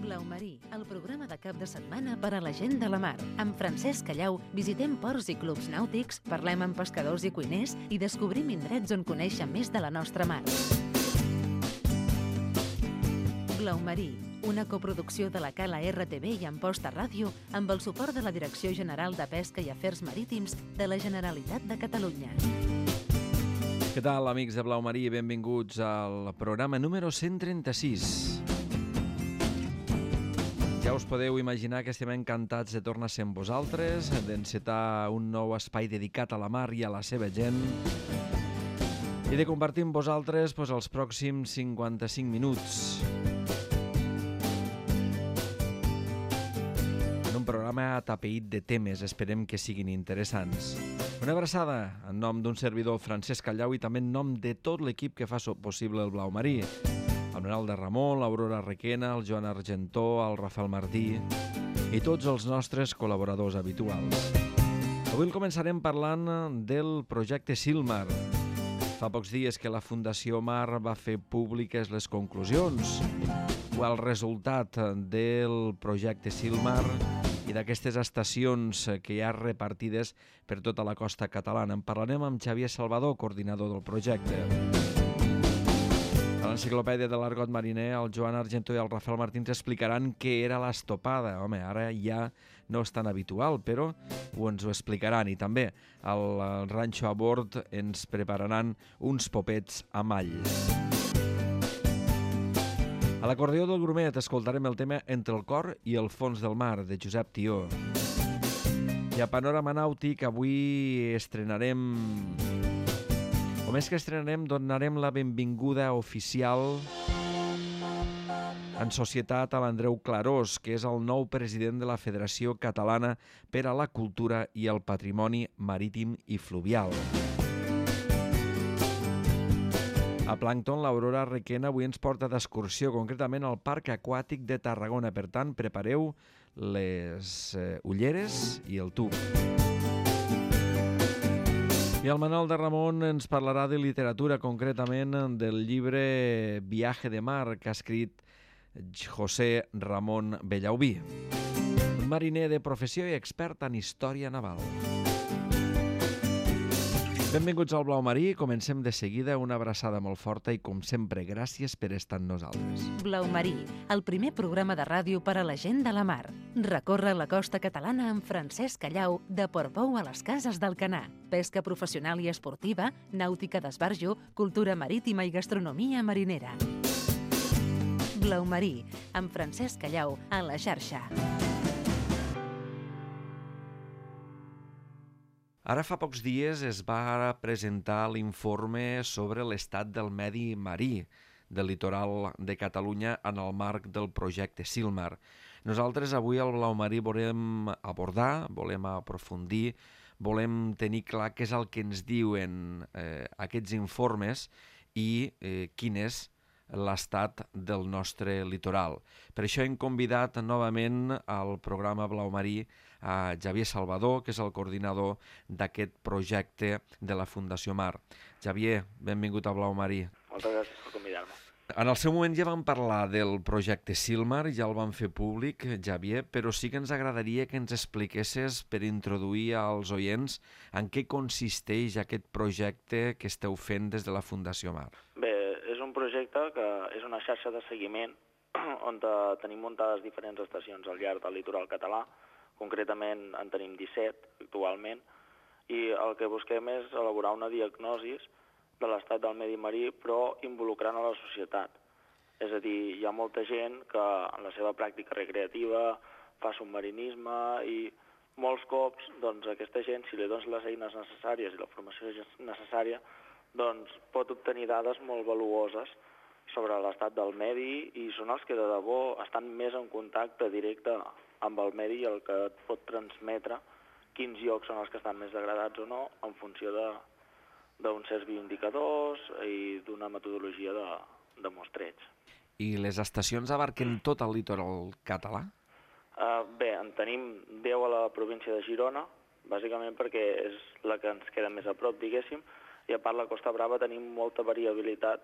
Blau Marí, el programa de cap de setmana per a la gent de la mar. Amb Francesc Callau visitem ports i clubs nàutics, parlem amb pescadors i cuiners i descobrim indrets on conèixer més de la nostra mar. Blau Marí, una coproducció de la Cala RTV i Amposta Ràdio amb el suport de la Direcció General de Pesca i Afers Marítims de la Generalitat de Catalunya. Què tal, amics de Blau Marí? Benvinguts al programa número 136. Ja us podeu imaginar que estem encantats de tornar a ser amb vosaltres, d'encetar un nou espai dedicat a la mar i a la seva gent i de compartir amb vosaltres els pròxims 55 minuts. En un programa atapeït de temes, esperem que siguin interessants. Una abraçada en nom d'un servidor, Francesc Callau, i també en nom de tot l'equip que fa possible el Blau Marí. El Manuel de Ramon, l'Aurora Requena, el Joan Argentó, el Rafael Martí i tots els nostres col·laboradors habituals. Avui començarem parlant del projecte Silmar. Fa pocs dies que la Fundació Mar va fer públiques les conclusions o el resultat del projecte Silmar i d'aquestes estacions que hi ha repartides per tota la costa catalana. En parlarem amb Xavier Salvador, coordinador del projecte. A l'enciclopèdia de l'argot mariner, el Joan Argentó i el Rafael Martí ens explicaran què era l'estopada. Home, ara ja no és tan habitual, però ens ho explicaran. I també al Ranxo a Bord ens prepararan uns popets amb all. A l'acordió del Grumet escoltarem el tema Entre el cor i el fons del mar, de Josep Tió. I a Panorama Nàutic avui estrenarem, o més que estrenarem, donarem la benvinguda oficial en societat a l'Andreu Clarós, que és el nou president de la Federació Catalana per a la Cultura i el Patrimoni Marítim i Fluvial. A Plàncton, l'Aurora Requena avui ens porta d'excursió, concretament al Parc Aquàtic de Tarragona. Per tant, prepareu les ulleres i el tub. I el Manuel de Ramon ens parlarà de literatura, concretament del llibre Viaje de mar, que ha escrit José Ramón Bellaubí, un mariner de professió i expert en història naval. Benvinguts al Blau Marí, comencem de seguida. Una abraçada molt forta i, com sempre, gràcies per estar amb nosaltres. Blau Marí, el primer programa de ràdio per a la gent de la mar. Recorre la costa catalana amb Francesc Callau, de Portbou a les Cases d'Alcanar. Pesca professional i esportiva, nàutica d'esbarjo, cultura marítima i gastronomia marinera. Blau Marí, amb Francesc Callau, a la xarxa. Ara fa pocs dies es va presentar l'informe sobre l'estat del medi marí del litoral de Catalunya en el marc del projecte Silmar. Nosaltres avui al Blau Marí volem abordar, volem aprofundir, volem tenir clar què és el que ens diuen aquests informes i quin és l'estat del nostre litoral. Per això hem convidat novament al programa Blau Marí a Xavier Salvador, que és el coordinador d'aquest projecte de la Fundació Mar. Xavier, benvingut a Blau Marí. Moltes gràcies per convidar-me. En el seu moment ja vam parlar del projecte Silmar, ja el vam fer públic, Xavier, però sí que ens agradaria que ens expliquessis, per introduir als oients, en què consisteix aquest projecte que esteu fent des de la Fundació Mar. Bé, és un projecte que és una xarxa de seguiment on tenim muntades diferents estacions al llarg del litoral català. Concretament en tenim 17 actualment, i el que busquem és elaborar una diagnosi de l'estat del medi marí, però involucrant a la societat. És a dir, hi ha molta gent que en la seva pràctica recreativa fa submarinisme i molts cops aquesta gent, si li dones les eines necessàries i la formació necessària, pot obtenir dades molt valuoses sobre l'estat del medi i són els que de debò estan més en contacte directe amb el medi i el que et pot transmetre quins llocs són els que estan més degradats o no en funció d'uns certs bioindicadors i d'una metodologia de mostreig. I les estacions abarquen tot el litoral català? Bé, en tenim 10 a la província de Girona, bàsicament perquè és la que ens queda més a prop, diguéssim, i a part la Costa Brava tenim molta variabilitat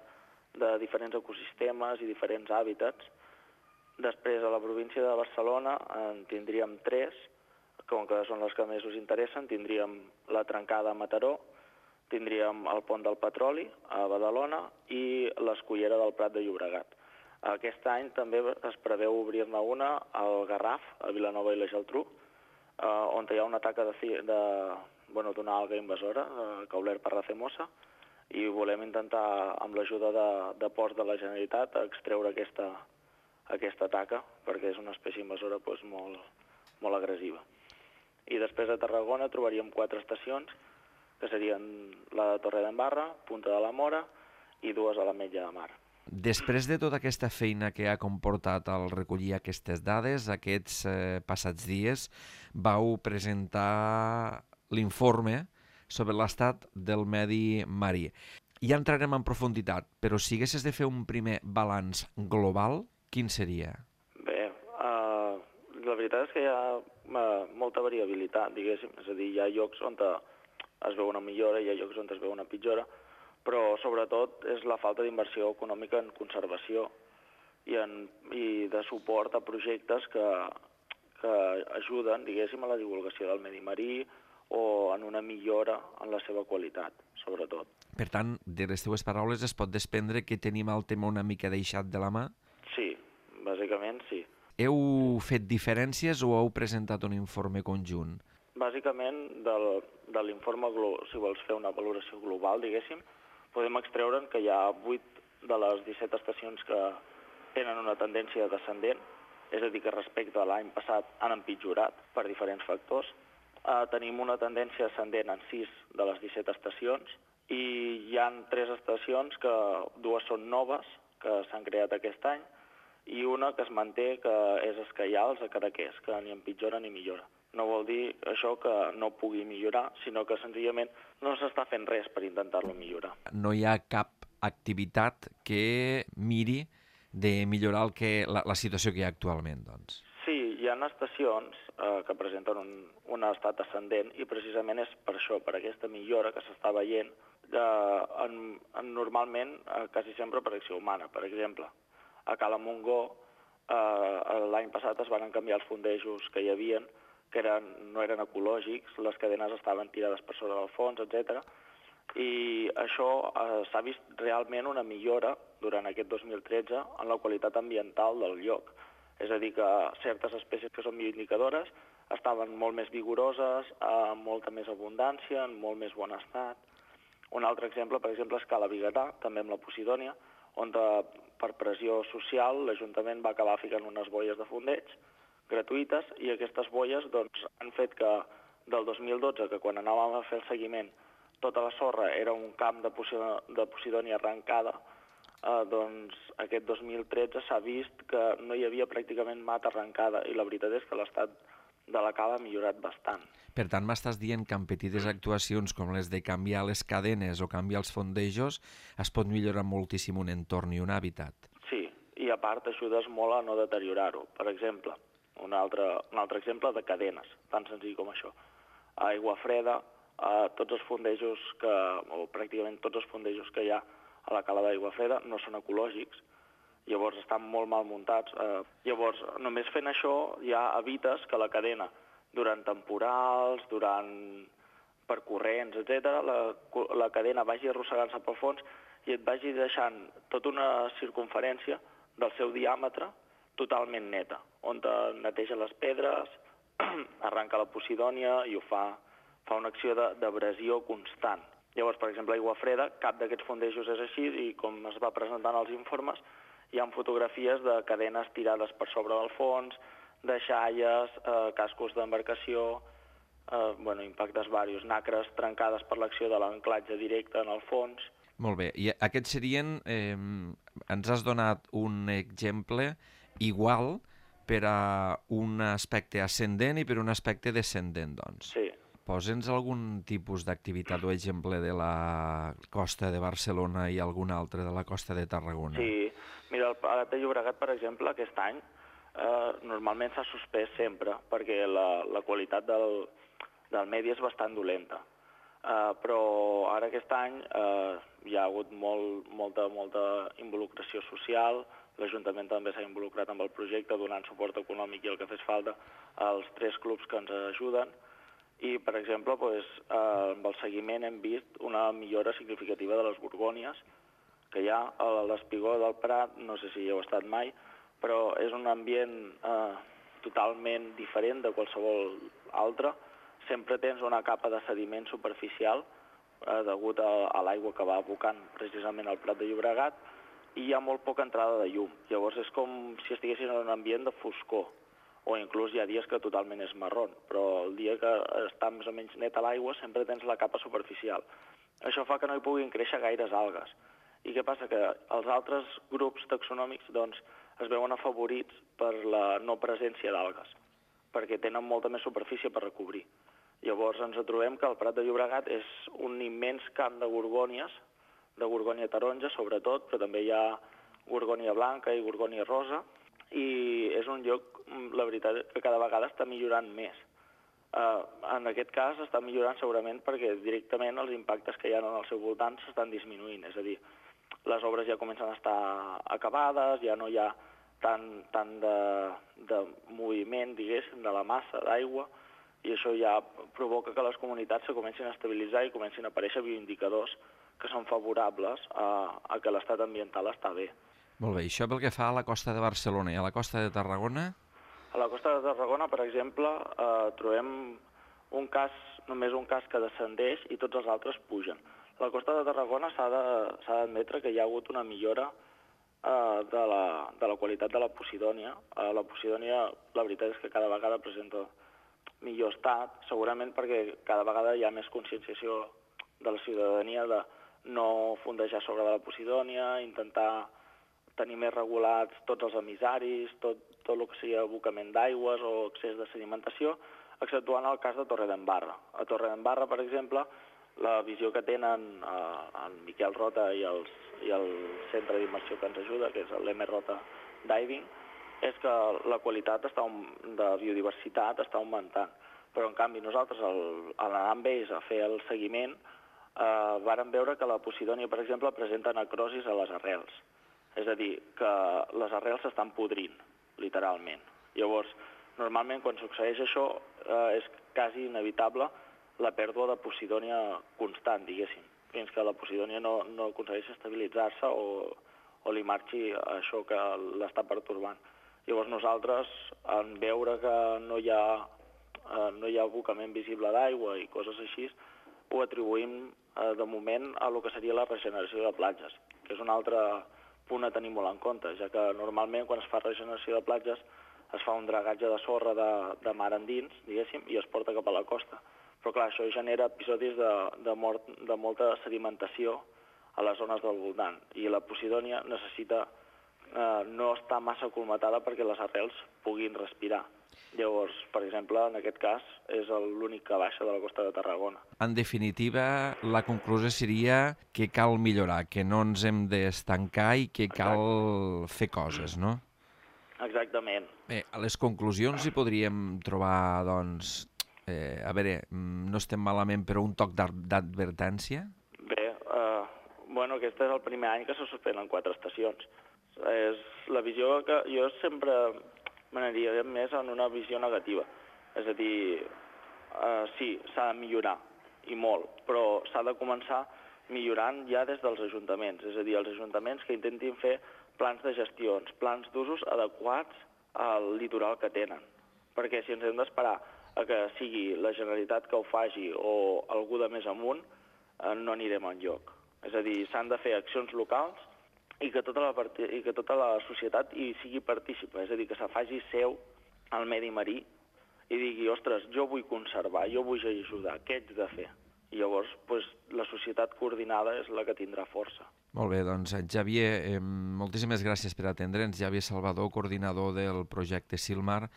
de diferents ecosistemes i diferents hàbitats, Després, a la província de Barcelona en tindríem 3, com que són les que més us interessen. Tindríem la Trencada a Mataró, tindríem el Pont del Petroli a Badalona i l'Escullera del Prat de Llobregat. Aquest any també es preveu obrir-ne una al Garraf, a Vilanova i la Geltrú, on hi ha una taca d'una alga invasora, Cauler parracemosa, i volem intentar, amb l'ajuda de ports de la Generalitat, extreure aquesta taca, perquè és una espècie invasora molt agressiva. I després a Tarragona trobaríem 4 estacions, que serien la de Torredembarra, Punta de la Mora i 2 a l'Ametlla de Mar. Després de tota aquesta feina que ha comportat el recollir aquestes dades, aquests passats dies vau presentar l'informe sobre l'estat del medi marí. Ja entrarem en profunditat, però si haguessis de fer un primer balanç global, quin seria? Bé, la veritat és que hi ha molta variabilitat, diguéssim. És a dir, hi ha llocs on es veu una millora, hi ha llocs on es veu una pitjora, però sobretot és la falta d'inversió econòmica en conservació i de suport a projectes que ajuden, diguéssim, a la divulgació del medi marí o en una millora en la seva qualitat, sobretot. Per tant, de les teves paraules es pot desprendre que tenim el tema una mica deixat de la mà? Sí, bàsicament sí. Heu fet diferències o heu presentat un informe conjunt? Bàsicament, de l'informe, si vols fer una valoració global, diguéssim, podem extreure'n que hi ha 8 de les 17 estacions que tenen una tendència descendent, és a dir, que respecte a l'any passat han empitjorat per diferents factors. Tenim una tendència ascendent en 6 de les 17 estacions i hi ha 3 estacions, que 2 són noves, que s'han creat aquest any, i una que es manté, que és Escaials, a Cadaqués, que ni empitjora ni millora. No vol dir això que no pugui millorar, sinó que senzillament no s'està fent res per intentar-lo millorar. No hi ha cap activitat que miri de millorar la situació que hi ha actualment, doncs. Sí, hi ha estacions que presenten un estat ascendent i precisament és per això, per aquesta millora que s'està veient, normalment quasi sempre per acció humana. Per exemple, a Cala Montgó l'any passat es van canviar els fondejos que hi havien, que no eren ecològics, les cadenes estaven tirades per sobre del fons, etc. I això s'ha vist realment una millora durant aquest 2013 en la qualitat ambiental del lloc. És a dir, que certes espècies que són bioindicadores estaven molt més vigoroses, amb molta més abundància, en molt més bon estat. Un altre exemple, per exemple, és Cala Vigatà, també amb la Posidònia, on per pressió social l'Ajuntament va acabar ficant unes boies de fondeig gratuïtes i aquestes boies han fet que del 2012, que quan anàvem a fer el seguiment tota la sorra era un camp de Posidònia arrencada, aquest 2013 s'ha vist que no hi havia pràcticament mata arrencada i la veritat és que l'estat de la cala ha millorat bastant. Per tant, m'estàs dient que amb petites actuacions com les de canviar les cadenes o canviar els fondejos es pot millorar moltíssim un entorn i un hàbitat. Sí, i a part ajudes molt a no deteriorar-ho. Per exemple, un altre exemple de cadenes, tan senzill com això. A Aigua Freda, tots els fondejos o pràcticament tots els fondejos que hi ha a la cala d'Aigua Freda no són ecològics, llavors estan molt mal muntats. Llavors, només fent això ja evites que la cadena, durant temporals, per corrents, etc., la cadena vagi arrossegant-se pel fons i et vagi deixant tota una circunferència del seu diàmetre totalment neta, on neteja les pedres, arranca la Posidònia i ho fa una acció d'abrasió constant. Llavors, per exemple, a Aigua Freda, cap d'aquests fondejos és així i com es va presentant als informes, hi ha fotografies de cadenes tirades per sobre del fons, de xalles, cascos d'embarcació, impactes diversos, nacres trencades per l'acció de l'anclatge directe en el fons. Molt bé, i aquests serien, ens has donat un exemple igual per a un aspecte ascendent i per un aspecte descendent, doncs. Sí. Posa'ns algun tipus d'activitat o exemple de la costa de Barcelona i algun altre de la costa de Tarragona. Sí, mira, el Prat de Llobregat, per exemple, aquest any normalment s'ha suspès sempre perquè la qualitat del medi és bastant dolenta. Però ara aquest any hi ha hagut molta involucració social, l'Ajuntament també s'ha involucrat amb el projecte, donant suport econòmic i el que fes falta als 3 clubs que ens ajuden. I, per exemple, amb el seguiment hem vist una millora significativa de les gorgònies que hi ha a l'Espigó del Prat, no sé si hi heu estat mai, però és un ambient totalment diferent de qualsevol altre. Sempre tens una capa de sediment superficial degut a l'aigua que va abocant precisament al Prat de Llobregat, i hi ha molt poca entrada de llum. Llavors és com si estiguessin en un ambient de foscor, o inclús hi ha dies que totalment és marró, però el dia que està més o menys net a l'aigua sempre tens la capa superficial. Això fa que no hi puguin créixer gaires algues. I què passa? Que els altres grups taxonòmics es veuen afavorits per la no presència d'algues, perquè tenen molta més superfície per recobrir. Llavors ens trobem que el Prat de Llobregat és un immens camp de gorgònies, de gorgònia taronja sobretot, però també hi ha gorgònia blanca i gorgònia rosa, i és un lloc, la veritat, que cada vegada està millorant més. En aquest cas està millorant segurament perquè directament els impactes que hi ha en el seu voltant s'estan disminuint, és a dir, les obres ja comencen a estar acabades, ja no hi ha tant de moviment, diguéssim, de la massa d'aigua, i això ja provoca que les comunitats se comencin a estabilitzar i comencin a aparèixer bioindicadors que són favorables a que l'estat ambiental està bé. Molt bé, això pel que fa a la costa de Barcelona i a la costa de Tarragona? A la costa de Tarragona, per exemple, trobem només un cas que descendeix i tots els altres pugen. A la costa de Tarragona s'ha d'admetre que hi ha hagut una millora de la qualitat de la Posidònia. La Posidònia, la veritat és que cada vegada presenta millor estat, segurament perquè cada vegada hi ha més conscienciació de la ciutadania de no fondejar sobre de la Posidònia, intentar tenir més regulats tots els emissaris, tot el que sigui abocament d'aigües o excés de sedimentació, exceptuant el cas de Torredembarra. A Torredembarra, per exemple, la visió que tenen en Miquel Rota i el centre d'immersió que ens ajuda, que és l'M Rota Diving, és que la qualitat de biodiversitat està augmentant. Però, en canvi, nosaltres, a l'anar amb ells a fer el seguiment, vàrem veure que la Posidònia, per exemple, presenta necrosis a les arrels. És a dir, que les arrels s'estan podrint, literalment. Llavors, normalment, quan succeeix això, és quasi inevitable la pèrdua de Posidònia constant, diguéssim, fins que la Posidònia no aconsegueix estabilitzar-se o li marxi això que l'està pertorbant. Llavors nosaltres, en veure que no hi ha abocament visible d'aigua i coses així, ho atribuïm de moment a el que seria la regeneració de platges, que és un altre punt a tenir molt en compte, ja que normalment quan es fa regeneració de platges es fa un dragatge de sorra de mar endins, diguéssim, i es porta cap a la costa. Però clar, això genera episodis de molta sedimentació a les zones del voltant, i la Posidònia necessita no estar massa colmatada perquè les arrels puguin respirar. Llavors, per exemple, en aquest cas, és l'únic que baixa de la costa de Tarragona. En definitiva, la conclusió seria que cal millorar, que no ens hem d'estancar i que cal fer coses, no? Exactament. Bé, a les conclusions hi podríem trobar, doncs, a veure, no estem malament, però un toc d'advertència? Bé, aquest és el primer any que se suspenen 4 estacions. És la visió que jo sempre m'aniria més en una visió negativa. És a dir, sí, s'ha de millorar, i molt, però s'ha de començar millorant ja des dels ajuntaments. És a dir, els ajuntaments que intentin fer plans de gestions, plans d'usos adequats al litoral que tenen. Perquè si ens hem d'esperar a que sigui la Generalitat que ho faci o algú de més amunt, no anirem enlloc. És a dir, s'han de fer accions locals i que tota la societat hi sigui partícipa, és a dir, que se faci seu al medi marí i digui, ostres, jo vull conservar, jo vull ajudar, què haig de fer? I llavors, la societat coordinada és la que tindrà força. Molt bé, doncs, Xavier, moltíssimes gràcies per atendre'ns. Xavier Salvador, coordinador del projecte Silmar,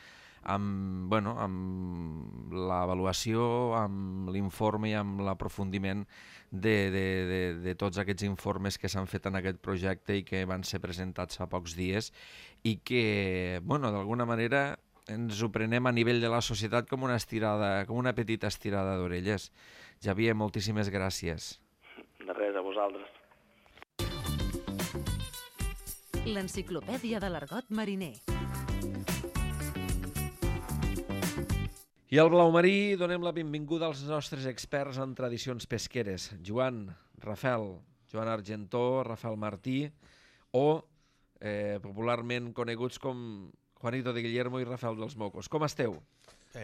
amb l'avaluació, amb l'informe i amb l'aprofundiment de tots aquests informes que s'han fet en aquest projecte i que van ser presentats fa pocs dies i que, d'alguna manera ens ho prenem a nivell de la societat com una petita estirada d'orelles. Xavier, moltíssimes gràcies. De res, a vosaltres. l'enciclopèdia de l'argot mariner. I al Blau Marí donem la benvinguda als nostres experts en tradicions pesqueres. Joan, Rafael, Joan Argentó, Rafael Martí, o popularment coneguts com Juanito de Guillermo i Rafael dels Mocos. Com esteu?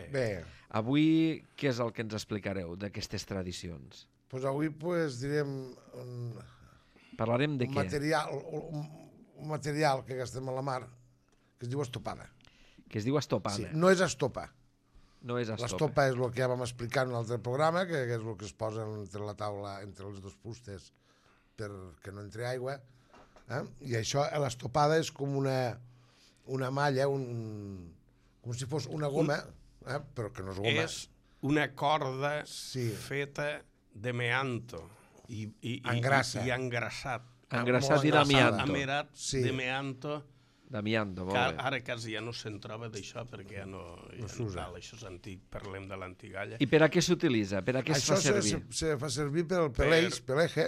Bé. Avui què és el que ens explicareu d'aquestes tradicions? Doncs avui direm Parlarem de què? un material que gastem a la mar que es diu estopada. Que es diu estopada. Sí, no és estopa. No és estopa. L'estopa és el que ja vam explicar en un altre programa, que és el que es posa entre la taula, entre les dues fustes, perquè no entri aigua. I això, l'estopada és com una malla, com si fos una goma, però que no és goma. És una corda feta de meanto i engrassat. Engrassat i d'amianto. Amerat de meanto. D'amianto, molt bé. Ara quasi ja no se'n troba d'això perquè ja no s'usa. Això és antic, parlem de l'antigalla. I per a què s'utilitza? Per a què es fa servir? Això se fa servir per el peleje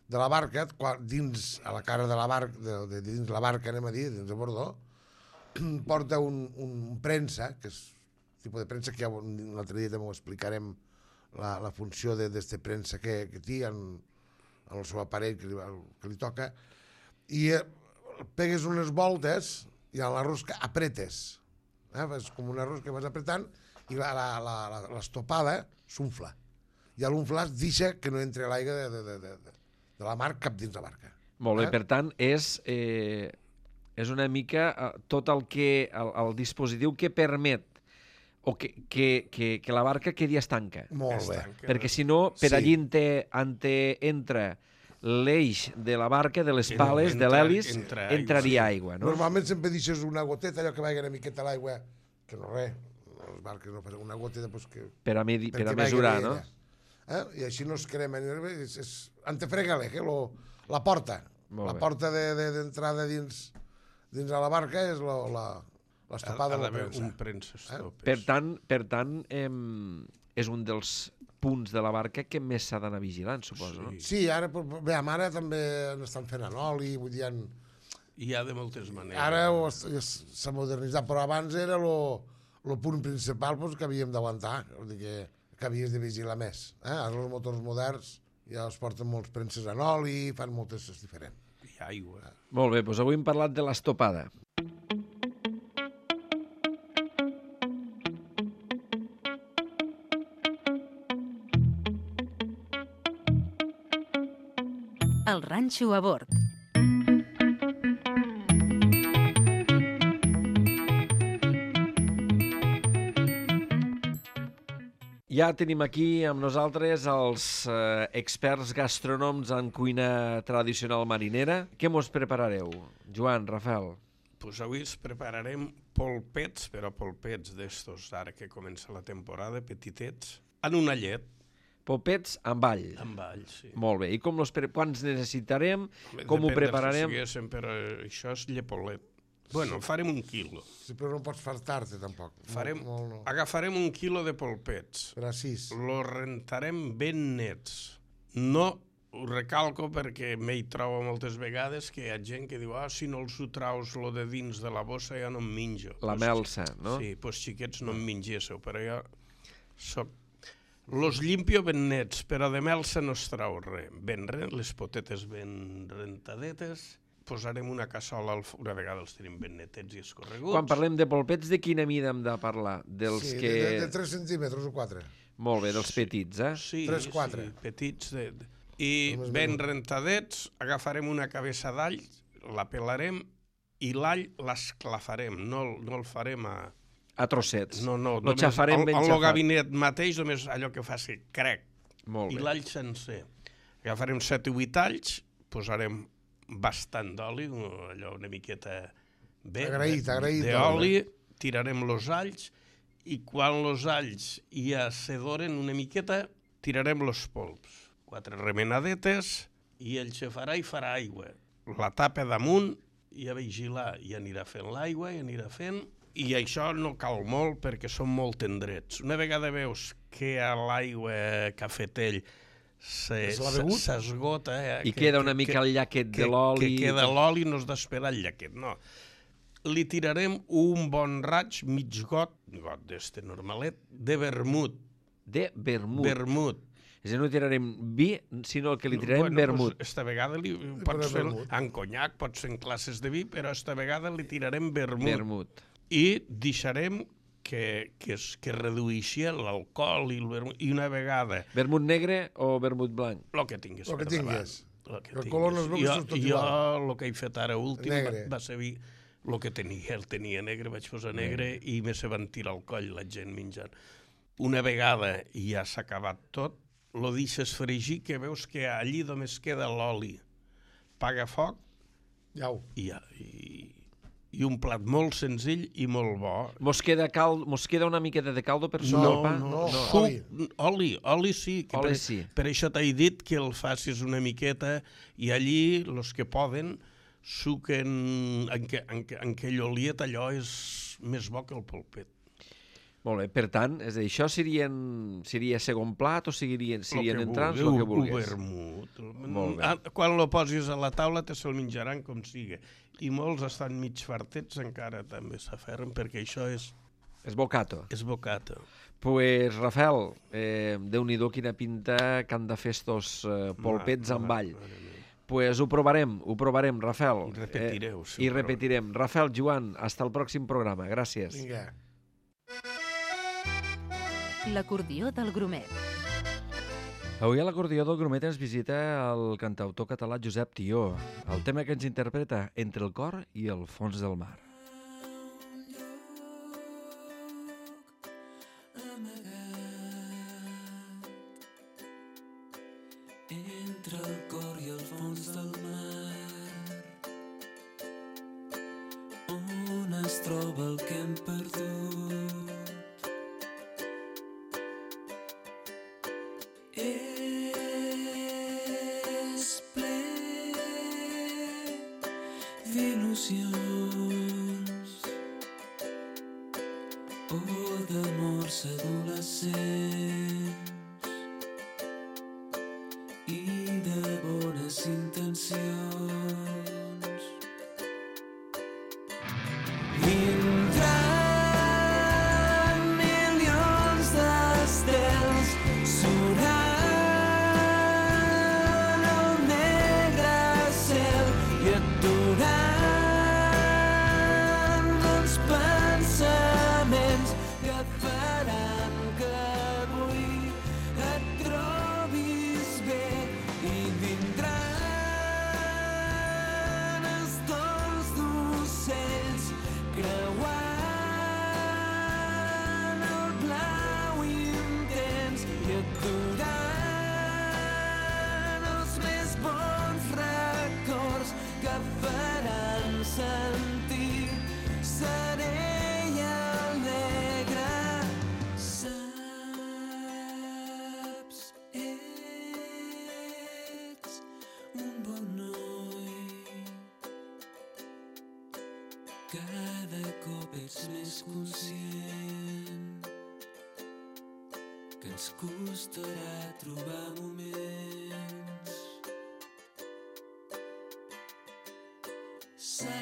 de la barca, dins a la cara de la barca, dins la barca, anem a dir, dins de bordó, porta un premsa, que és un tipus de premsa que ja l'altre dia també ho explicarem, la funció d'aquesta premsa que té en el seu aparell que li toca, i pegues unes voltes i a la rosca apretes. És com una rosca que vas apretant i l'estopada s'unfla. I a l'unflar es deixa que no entri l'aigua de la mar cap dins la barca. Molt bé, per tant, és una mica tot el dispositiu que permet o que la barca quedi estanca. Molt bé. Perquè si no, per allí entra l'eix de la barca, de les pales, de l'hèlis, entraria aigua. Normalment sempre deixes una goteta, allò que vagi una miqueta a l'aigua, que no res, les barques no passen una goteta per a mesurar, no? I així no es crema. Han de fregar-le, la porta. La porta d'entrada dins a la barca és l'estopada de la premsa. Per tant, és un dels punts de la barca que més s'ha d'anar vigilant, suposo, no? Sí, ara també n'estan fent en oli, vull dir... Hi ha de moltes maneres. Ara s'ha modernitzat, però abans era el punt principal que havíem d'aguantar, que havies de vigilar més. Ara els motors moderns ja es porten molts premses en oli, fan moltes coses diferents. I aigua. Molt bé, doncs avui hem parlat de l'estopada. El ranxo a bord. Ja tenim aquí amb nosaltres els experts gastronòmics en cuina tradicional marinera. Què mos preparareu? Joan, Rafael. Doncs avui ens prepararem polpets, però polpets d'estos, ara que comença la temporada, petitets, en una llet. Polpets amb all. Amb all, sí. Molt bé. I quants necessitarem? Com ho prepararem? Però això és llepolet. Bueno, farem 1 quilo. Sí, però no pots fartar-te, tampoc. Agafarem 1 quilo de polpets. Per a 6. Lo rentarem ben nets. No ho recalco perquè m'hi trobo moltes vegades que hi ha gent que diu si no els ho traus lo de dins de la bossa ja no em menjo. La melsa, no? Sí, doncs xiquets no em mengéssiu, però jo soc... Los limpio ben nets, però de melsa no es trau res. Les potetes ben rentadetes, posarem una cassola, una vegada els tenim ben netets i escorreguts. Quan parlem de polpets, de quina mida hem de parlar? Sí, de 3 centímetres o 4. Molt bé, dels petits, Sí, 3-4. Sí, petits. I ben rentadets, agafarem una cabeça d'all, la pelarem i l'all l'esclafarem, no el farem a trossets. No, lo xafarem ben xafat. Al gabinet mateix, només allò que faci crec. Molt bé. I l'all sencer. Agafarem 7 o 8 alls, posarem bastant d'oli, allò una miqueta agraït d'oli, tirarem los alls i quan los alls ja s'adoren una miqueta, tirarem los polps. 4 remenadetes i el xafarà i farà aigua. La tapa damunt i a vigilar, i anirà fent l'aigua, i anirà fent... I això no cal molt perquè són molt tendrets. Una vegada veus que a l'aigua cafetell s'esgota. I queda una mica el llaquet de l'oli. Que queda l'oli, no has d'esperar el llaquet, no. Li tirarem un bon raig, mig got d'este normalet, de vermut. De vermut. Vermut. És a dir, no tirarem vi, sinó que li tirarem vermut. Pues esta vegada pots fer en conyac, pots fer en classes de vi, però esta vegada li tirarem vermut. Vermut. I deixarem que redueixi l'alcohol i el vermut. I una vegada... Vermut negre o vermut blanc? El que tinguis. El que tinguis. El color no es veu que és tot igual. Jo el que he fet ara últim va ser vi, el que tenia. El tenia negre, vaig posar negre i me se van tirar al coll la gent menjant. Una vegada ja s'ha acabat tot, lo deixes fregir, que veus que allí només queda l'oli. Paga foc i un plat molt senzill i molt bo. Mos queda una miqueta de caldo per sobre el pa? No. Oli sí. Oli sí. Per això t'he dit que el facis una miqueta i allí, els que poden, suquen en aquell oliet, allò és més bo que el polpet. Molt bé, per tant, és a dir, això seria segon plat o serien entrants, el que vulguis? Vermut. Molt bé. Quan lo posis a la taula te se'l menjaran com siga. I molts estan mig fartets, encara també s'aferren, perquè això és... És bocato. És bocato. Pues, Rafael, Déu-n'hi-do quina pinta que han de fer estos polpets amb all. Pues ho provarem, Rafael. I repetireu. I repetirem. Rafael, Joan, hasta el pròxim programa. Gràcies. Vinga. L'acordió del Grumet. Avui a l'acordió del Grumet ens visita el cantautor català Josep Tió. El tema que ens interpreta Entre el cor i el fons del mar. Entre el cor i el fons del mar, on es troba el que hem perdut. És ple d'il·lusions o d'amors adolescents i de bones intencions. Vindran milions d'estels, sonaran el negre cel i aturan els pensaments que et faran que avui et trobis bé. I vindran els tons d'ocells creuant el blau intens i aturan els més bons records que et faran sentir serè i alegre. Saps, ets un bon noi, cada cop ets més conscient que ens costarà trobar moments. Saps,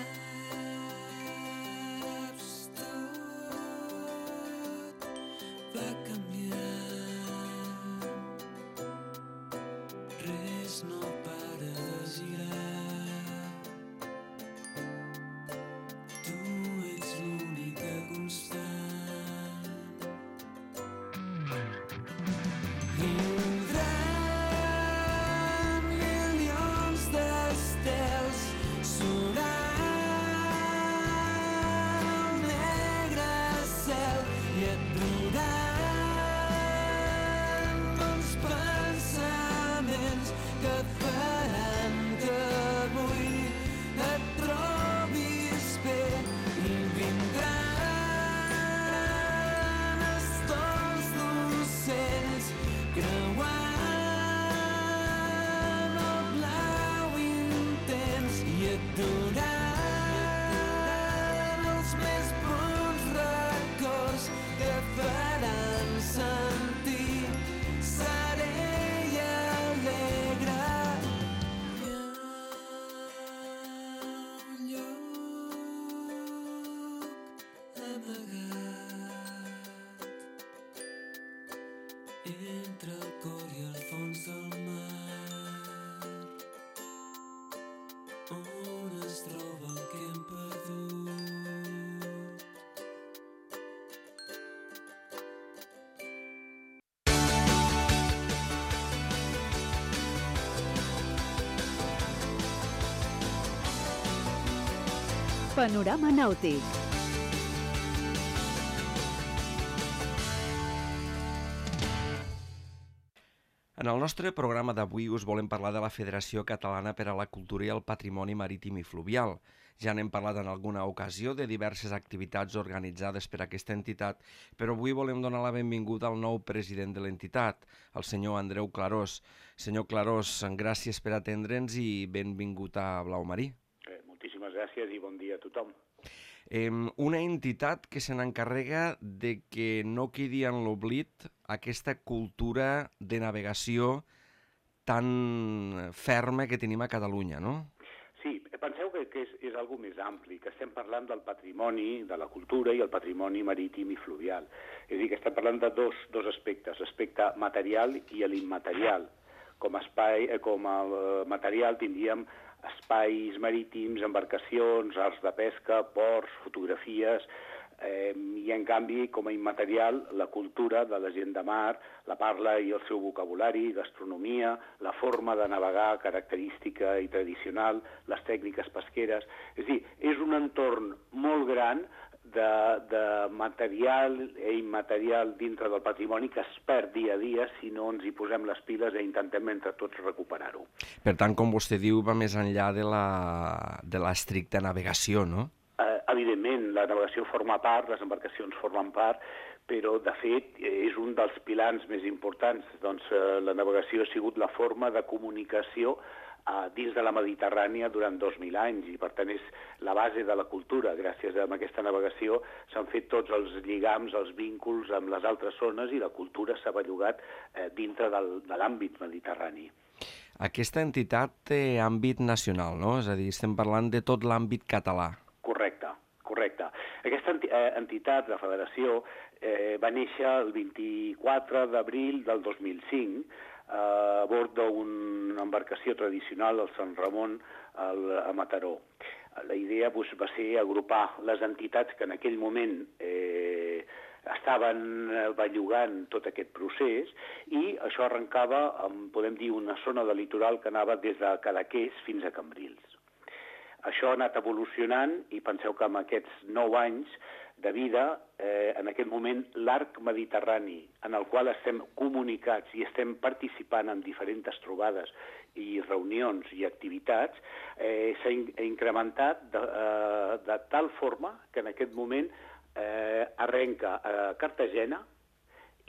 tot va canviant, res no para de girar. Tu ets l'única constant. Vindran entre el cor i el fons del mar, on es troba el que hem perdut. Panorama nàutic. En el nostre programa d'avui us volem parlar de la Federació Catalana per a la Cultura i el Patrimoni Marítim i Fluvial. Ja n'hem parlat en alguna ocasió de diverses activitats organitzades per aquesta entitat, però avui volem donar la benvinguda al nou president de l'entitat, el senyor Andreu Clarós. Senyor Clarós, gràcies per atendre'ns i benvingut a Blau Marí. Moltíssimes gràcies i bon dia a tothom. Una entitat que se n'encarrega de que no quedi en l'oblit aquesta cultura de navegació tan ferma que tenim a Catalunya, no? Sí, penseu que és algo més ampli, que estem parlant del patrimoni, de la cultura i el patrimoni marítim i fluvial. És a dir, que estem parlant de dos aspectes, l'aspecte material i l'immaterial. Com a material tindríem espais marítims, embarcacions, arts de pesca, ports, fotografies, i en canvi, com a immaterial, la cultura de la gent de mar, la parla i el seu vocabulari, gastronomia, la forma de navegar característica i tradicional, les tècniques pesqueres. És a dir, és un entorn molt gran de material i immaterial dintre del patrimoni que es perd dia a dia si no ens hi posem les piles i intentem entre tots recuperar-ho. Per tant, com vostè diu, va més enllà de l'estricta navegació, no? Evidentment, la navegació forma part, les embarcacions formen part, però, de fet, és un dels pilars més importants. Doncs la navegació ha sigut la forma de comunicació dins de la Mediterrània durant 2.000 anys i, per tant, és la base de la cultura. Gràcies a aquesta navegació s'han fet tots els lligams, els vínculs amb les altres zones i la cultura s'ha bellugat dintre de l'àmbit mediterrani. Aquesta entitat té àmbit nacional, no? És a dir, estem parlant de tot l'àmbit català. Correcte. Aquesta entitat, la federació, va néixer el 24 d'abril del 2005 a bord d'una embarcació tradicional, el Sant Ramon, a Mataró. La idea va ser agrupar les entitats que en aquell moment estaven bellugant tot aquest procés i això arrencava amb, podem dir, una zona de litoral que anava des de Cadaqués fins a Cambrils. Això ha anat evolucionant i penseu que amb aquests 9 anys de vida, en aquest moment, l'arc mediterrani, en el qual estem comunicats i estem participant en diferents trobades i reunions i activitats, s'ha incrementat de tal forma que en aquest moment arrenca a Cartagena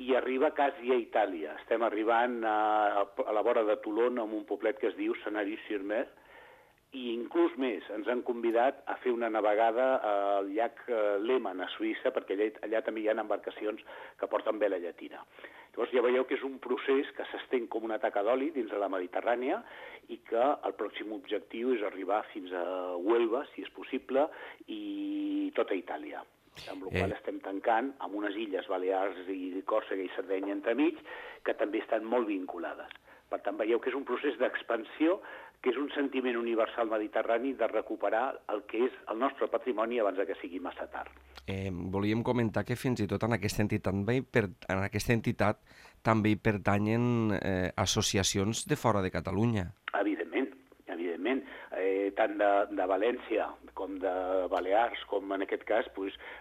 i arriba quasi a Itàlia. Estem arribant a la vora de Toulon, amb un poblet que es diu Sanary-sur-Mer, i inclús més, ens han convidat a fer una navegada al llac Léman, a Suïssa, perquè allà també hi ha embarcacions que porten vela llatina. Llavors ja veieu que és un procés que s'estén com una taca d'oli dins de la Mediterrània i que el pròxim objectiu és arribar fins a Huelva, si és possible, i tota Itàlia. Amb la qual estem tancant amb unes illes Balears i Còrsega i Sardenya entremig, que també estan molt vinculades. Per tant, veieu que és un procés d'expansió, que és un sentiment universal mediterrani de recuperar el que és el nostre patrimoni abans que sigui massa tard. Volíem comentar que fins i tot en aquesta entitat també hi pertanyen associacions de fora de Catalunya. Evidentment. Tant de València com de Balears, com en aquest cas,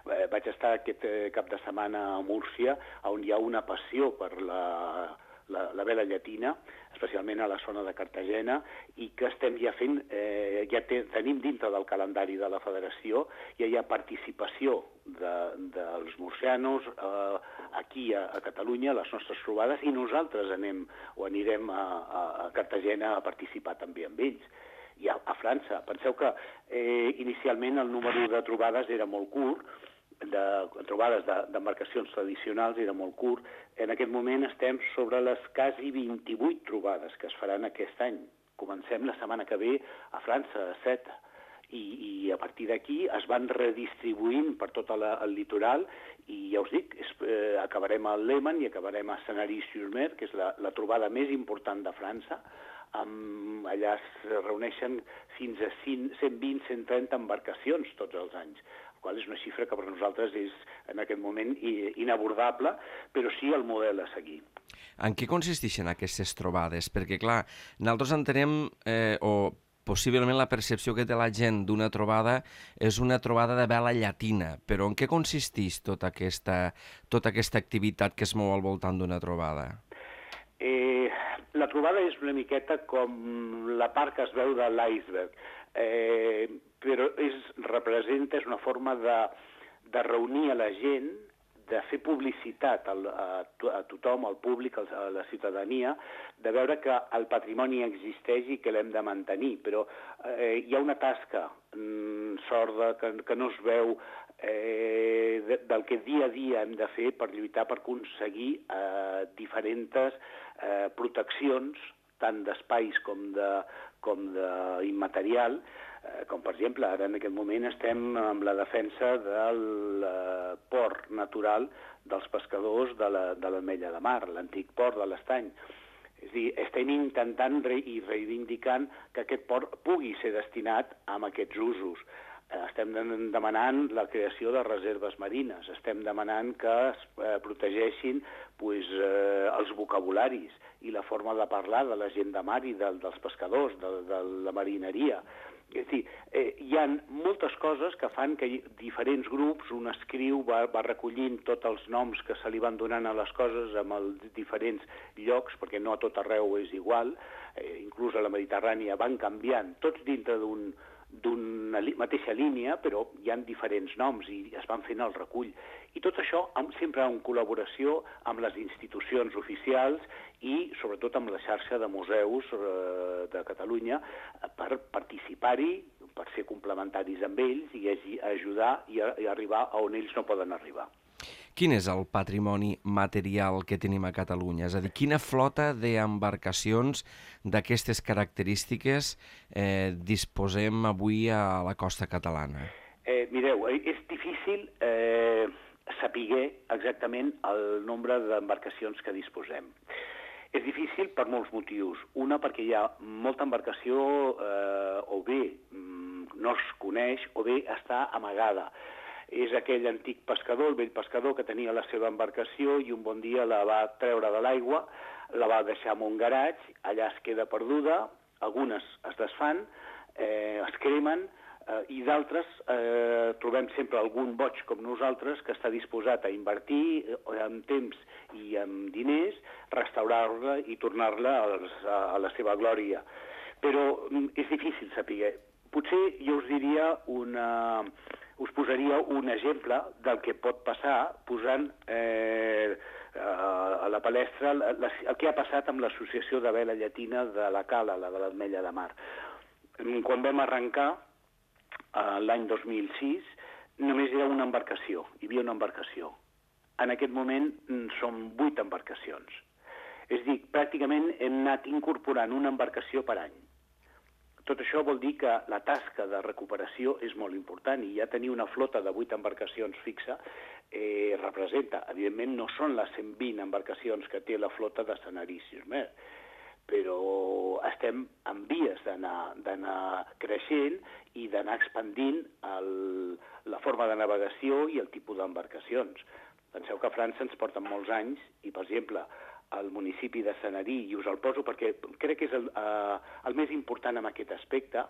vaig estar aquest cap de setmana a Múrcia, on hi ha una passió per la vela llatina, especialment a la zona de Cartagena, i que estem ja fent, tenim dintre del calendari de la federació, ja hi ha participació dels murcianos aquí a Catalunya, a les nostres trobades, i nosaltres anirem a Cartagena a participar també amb ells. I a França. Penseu que inicialment el número de trobades era molt curt, de trobades d'embarcacions tradicionals era molt curt. En aquest moment estem sobre les quasi 28 trobades que es faran aquest any. Comencem la setmana que ve a França, a Sète, I a partir d'aquí es van redistribuint per tot el litoral i ja us dic, acabarem a Léman i acabarem a Sanary-sur-Mer, que és la trobada més important de França. Allà es reuneixen fins a 120-130 embarcacions tots els anys, la qual és una xifra que per nosaltres és en aquest moment inabordable, però sí el model a seguir. En què consisteixen aquestes trobades? Perquè, clar, nosaltres entenem, possiblement la percepció que té la gent d'una trobada és una trobada de vela llatina, però en què consisteix tota aquesta activitat que es mou al voltant d'una trobada? La trobada és una miqueta com la part que es veu de l'iceberg, però representa, és una forma de reunir a la gent, de fer publicitat a tothom, al públic, a la ciutadania, de veure que el patrimoni existeix i que l'hem de mantenir. Però hi ha una tasca sorda que no es veu del que dia a dia hem de fer per lluitar per aconseguir diferents proteccions, tant d'espais com d'immaterial, com per exemple, ara en aquest moment estem amb la defensa del port natural dels pescadors de l'Ametlla de Mar, l'antic port de l'Estany. És a dir, estem intentant i reivindicant que aquest port pugui ser destinat a aquests usos. Estem demanant la creació de reserves marines, estem demanant que es protegeixin els vocabularis i la forma de parlar de la gent de mar i dels pescadors, de la marineria. És a dir, hi ha moltes coses que fan que diferents grups, un escriu, va recollint tots els noms que se li van donant a les coses amb els diferents llocs, perquè no a tot arreu és igual, inclús a la Mediterrània van canviant, tots dintre d'una mateixa línia, però hi ha diferents noms i es van fent el recull. I tot això sempre en col·laboració amb les institucions oficials i sobretot amb la xarxa de museus de Catalunya per participar-hi, per ser complementaris amb ells i ajudar i arribar a on ells no poden arribar. Quin és el patrimoni material que tenim a Catalunya? És a dir, quina flota d'embarcacions d'aquestes característiques disposem avui a la costa catalana? Mireu, és difícil saber exactament el nombre d'embarcacions que disposem. És difícil per molts motius. Una, perquè hi ha molta embarcació o bé no es coneix o bé està amagada. És aquell antic pescador, el vell pescador, que tenia la seva embarcació i un bon dia la va treure de l'aigua, la va deixar en un garatge, allà es queda perduda, algunes es desfan, es cremen, i d'altres trobem sempre algun boig com nosaltres que està disposat a invertir amb temps i amb diners, restaurar-la i tornar-la a la seva glòria. Però és difícil saber. Potser jo us diria us posaria un exemple del que pot passar posant a la palestra el que ha passat amb l'associació de vela llatina de la Cala, la de l'Ametlla de Mar. Quan vam arrencar, l'any 2006, només era una embarcació, hi havia una embarcació. En aquest moment són 8 embarcacions. És a dir, pràcticament hem anat incorporant una embarcació per any. Tot això vol dir que la tasca de recuperació és molt important i ja tenir una flota de 8 embarcacions fixa representa, evidentment no són les 120 embarcacions que té la flota de Sanary-sur-Mer, però estem en vies d'anar creixent i d'anar expandint la forma de navegació i el tipus d'embarcacions. Penseu que a França ens porten molts anys i, per exemple, al municipi de Sanary, i us el poso perquè crec que és el més important en aquest aspecte,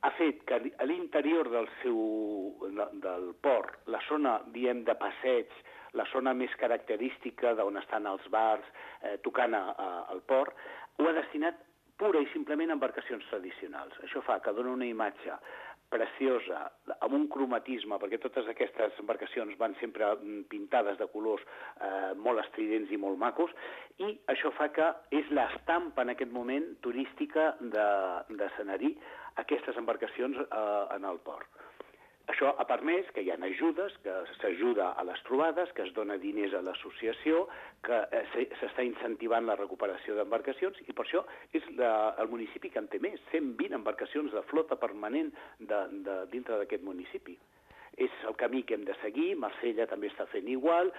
ha fet que a l'interior del port, la zona, diem, de passeig, la zona més característica d'on estan els bars, tocant al port, ho ha destinat pura i simplement a embarcacions tradicionals. Això fa que dona una imatge preciosa, amb un cromatisme, perquè totes aquestes embarcacions van sempre pintades de colors molt estridents i molt macos, i això fa que és l'estampa en aquest moment turística de Sanary, aquestes embarcacions en el port. Això ha permès que hi ha ajudes, que s'ajuda a les trobades, que es dona diners a l'associació, que s'està incentivant la recuperació d'embarcacions, i per això és el municipi que en té més, 120 embarcacions de flota permanent dintre d'aquest municipi. És el camí que hem de seguir, Marsella també està fent igual,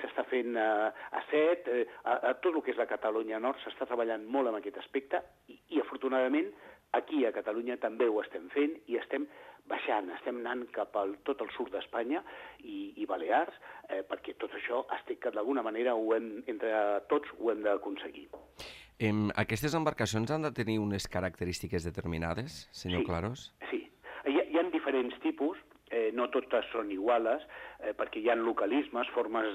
s'està fent a Set, a tot el que és la Catalunya Nord s'està treballant molt en aquest aspecte i afortunadament aquí a Catalunya també ho estem fent i estem baixant, estem anant cap al tot el sud d'Espanya i Balears, perquè tot això estic que d'alguna manera entre tots ho hem d'aconseguir. Aquestes embarcacions han de tenir unes característiques determinades, senyor Claros? Sí, hi ha diferents tipus, no totes són iguales, perquè hi ha localismes, formes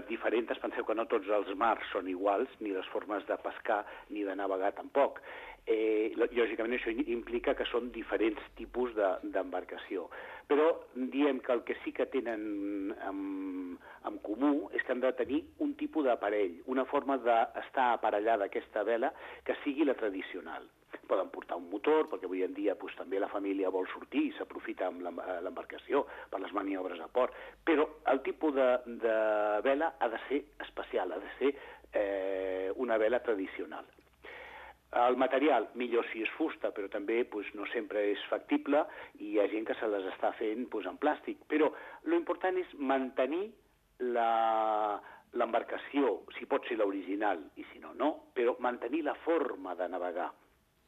diferents. Penseu que no tots els mars són iguals, ni les formes de pescar ni de navegar tampoc. Lògicament això implica que són diferents tipus d'embarcació. Però diem que el que sí que tenen en comú és que han de tenir un tipus d'aparell, una forma d'estar aparellada aquesta vela que sigui la tradicional. Poden portar un motor, perquè avui en dia també la família vol sortir i s'aprofita amb l'embarcació per les maniobres a port, però el tipus de vela ha de ser especial, ha de ser una vela tradicional. El material, millor si és fusta, però també no sempre és factible i hi ha gent que se les està fent en plàstic. Però l'important és mantenir l'embarcació, si pot ser l'original i si no, no, però mantenir la forma de navegar.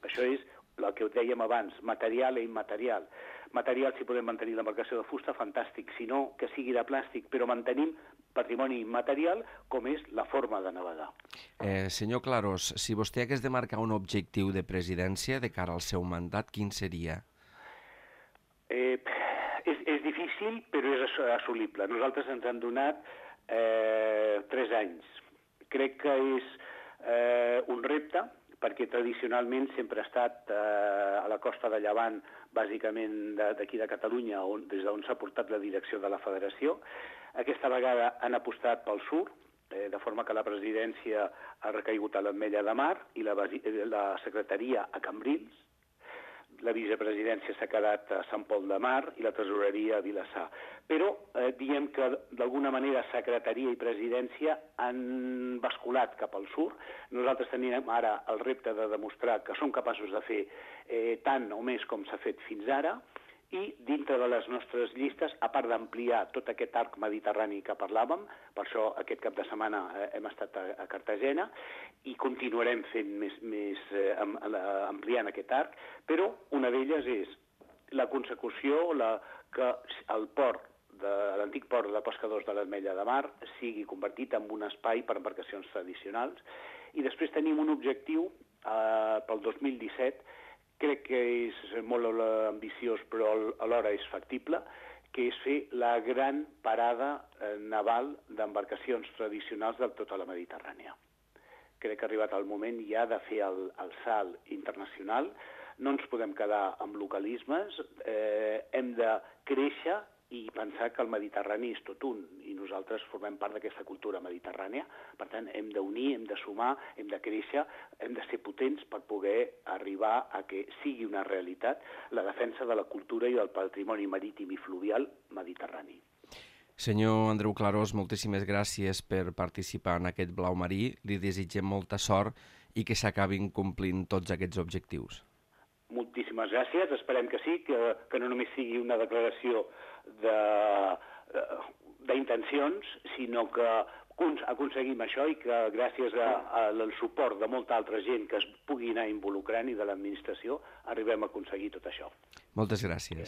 Això és el que dèiem abans, material i immaterial. Material, si podem mantenir l'embarcació de fusta, fantàstic, si no, que sigui de plàstic, però mantenim patrimoni immaterial com és la forma de navegar. Senyor Claros, si vostè hagués de marcar un objectiu de presidència de cara al seu mandat, quin seria? És difícil, però és assolible. Nosaltres ens han donat 3 anys. Crec que és un repte, perquè tradicionalment sempre ha estat a la costa de Llevant, bàsicament d'aquí de Catalunya, des d'on s'ha portat la direcció de la federació. Aquesta vegada han apostat pel sud, de forma que la presidència ha recaigut a l'Ametlla de Mar i la secretaria a Cambrils. La vicepresidència s'ha quedat a Sant Pol de Mar i la tresoreria a Vilassar. Però diem que d'alguna manera secretaria i presidència han basculat cap al sud. Nosaltres tenim ara el repte de demostrar que som capaços de fer tant o més com s'ha fet fins ara, i dintre de les nostres llistes, a part d'ampliar tot aquest arc mediterrani que parlàvem, per això aquest cap de setmana hem estat a Cartagena, i continuarem fent ampliant aquest arc, però una d'elles és la consecució que el port, l'antic port de pescadors de l'Ametlla de Mar sigui convertit en un espai per embarcacions tradicionals, i després tenim un objectiu pel 2017, crec que és molt ambiciós però alhora és factible, que és fer la gran parada naval d'embarcacions tradicionals de tota la Mediterrània. Crec que ha arribat el moment ja de fer el salt internacional, no ens podem quedar amb localismes, hem de créixer i pensar que el Mediterrani és tot un, i nosaltres formem part d'aquesta cultura mediterrània. Per tant, hem d'unir, hem de sumar, hem de créixer, hem de ser potents per poder arribar a que sigui una realitat la defensa de la cultura i del patrimoni marítim i fluvial mediterrani. Senyor Andreu Clarós, moltíssimes gràcies per participar en aquest Blau Marí. Li desitgem molta sort i que s'acabin complint tots aquests objectius. Moltíssimes gràcies, esperem que sí, que no només sigui una declaració d'intencions, sinó que aconseguim això i que gràcies al suport de molta altra gent que es pugui anar involucrant i de l'administració arribem a aconseguir tot això. Moltes gràcies.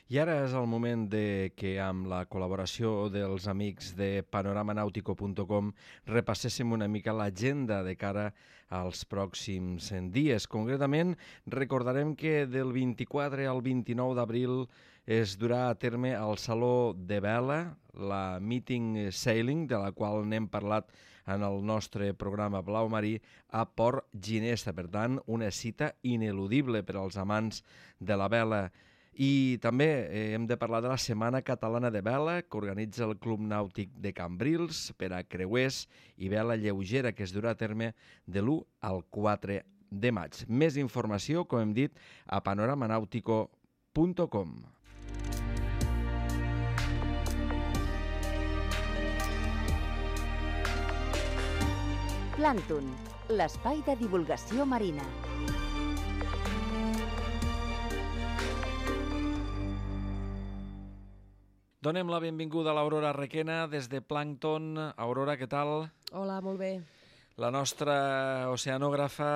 I ara és el moment que amb la col·laboració dels amics de panoramanautico.com repasséssim una mica l'agenda de cara als pròxims dies. Concretament, recordarem que del 24 al 29 d'abril es durà a terme al Saló de Vela, la Meeting Sailing, de la qual n'hem parlat en el nostre programa Blau Marí, a Port Ginesta. Per tant, una cita ineludible per als amants de la vela. I també hem de parlar de la Setmana Catalana de Vela, que organitza el Club Nàutic de Cambrils per a creuers i vela lleugera, que es durà a terme de l'1 al 4 de maig. Més informació, com hem dit, a panoramanautico.com. Plàncton, l'espai de divulgació marina. Donem la benvinguda a l'Aurora Requena des de Plàncton. Aurora, què tal? Hola, molt bé. La nostra oceanògrafa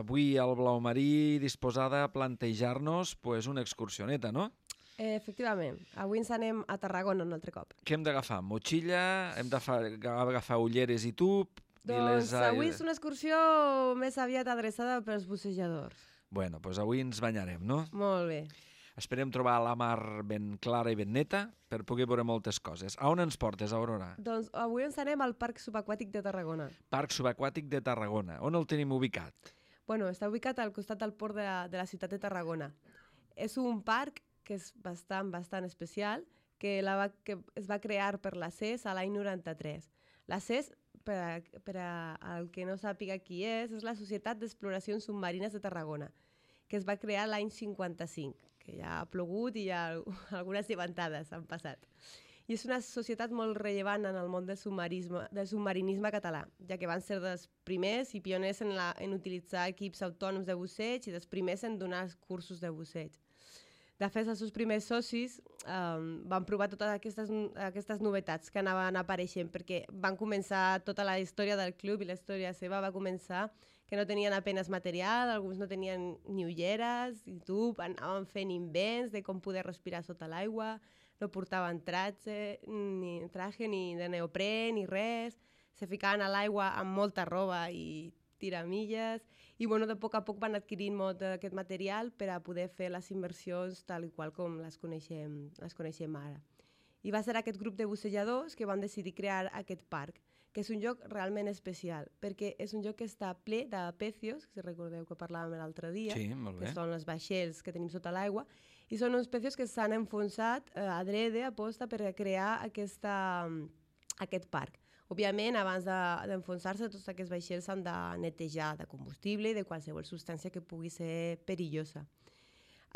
avui al blau marí, disposada a plantejar-nos una excursioneta, no? Efectivament. Avui ens anem a Tarragona un altre cop. Què hem d'agafar? Motxilla? Hem d'agafar ulleres i tub? Doncs avui és una excursió més aviat adreçada pels bussejadors. Bueno, doncs avui ens banyarem, no? Molt bé. Esperem trobar la mar ben clara i ben neta per poder veure moltes coses. A on ens portes, Aurora? Doncs avui ens anem al Parc Subaquàtic de Tarragona. Parc Subaquàtic de Tarragona. On el tenim ubicat? Bueno, està ubicat al costat del port de la ciutat de Tarragona. És un parc que és bastant especial, que es va crear per la CES a l'any 93. La CES, per al que no sàpiga qui és la Societat d'Exploracions Submarines de Tarragona, que es va crear l'any 55, que ja ha plogut i ja algunes llevantades han passat. I és una societat molt rellevant en el món del submarinisme català, ja que van ser dels primers i pioners en utilitzar equips autònoms de busseig i dels primers en donar cursos de busseig. De fet, els seus primers socis van provar totes aquestes novetats que anaven apareixent, perquè van començar tota la història del club i la història seva va començar que no tenien apenas material, alguns no tenien ni ulleres, i anaven fent invents de com poder respirar sota l'aigua, no portaven traje ni de neoprè ni res, se ficaven a l'aigua amb molta roba i tiramilles, i de poc a poc van adquirint molt d'aquest material per a poder fer les immersions tal i qual com les coneixem ara. I va ser aquest grup de bussejadors que van decidir crear aquest parc, que és un lloc realment especial, perquè és un lloc que està ple de pecios, si recordeu que parlàvem l'altre dia, sí, que són els vaixells que tenim sota l'aigua, i són uns pecios que s'han enfonsat adrede, aposta, per crear aquest parc. Òbviament, abans d'enfonsar-se, tots aquests vaixells s'han de netejar de combustible i de qualsevol substància que pugui ser perillosa.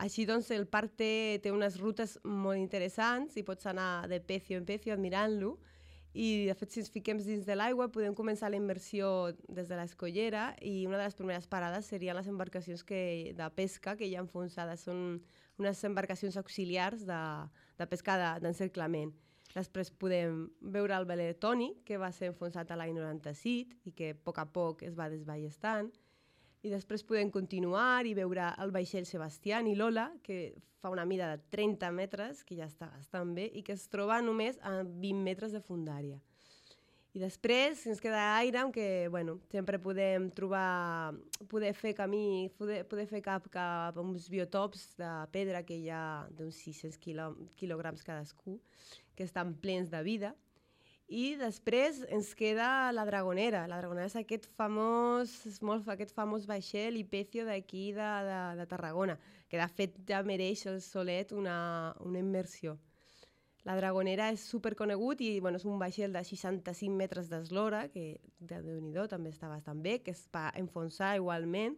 Així doncs, el parc té unes rutes molt interessants i pots anar de pecio en pecio admirant-lo, i de fet, si ens fiquem dins de l'aigua, podem començar la immersió des de l'escollera i una de les primeres parades serien les embarcacions de pesca que hi ha enfonsades. Són unes embarcacions auxiliars de pesca d'encerclament. Després podem veure el veler Toni, que va ser enfonsat a l'any 97 i que a poc es va desballestant. I després podem continuar i veure el vaixell Sebastián i Lola, que fa una mida de 30 metres, que ja està bastant bé, i que es troba només a 20 metres de fondària. I després, si ens queda aire, que sempre podem poder fer camí, poder fer cap a uns biotops de pedra que hi ha d'uns 600 quilograms cadascú, que estan plens de vida. I després ens queda la Dragonera. La Dragonera és aquest famós vaixell i pecio d'aquí de Tarragona, que de fet ja mereix el solet una immersió. La Dragonera és superconegut i és un vaixell de 65 metres d'eslora, que Déu-n'hi-do també està bastant bé, que es va enfonsar igualment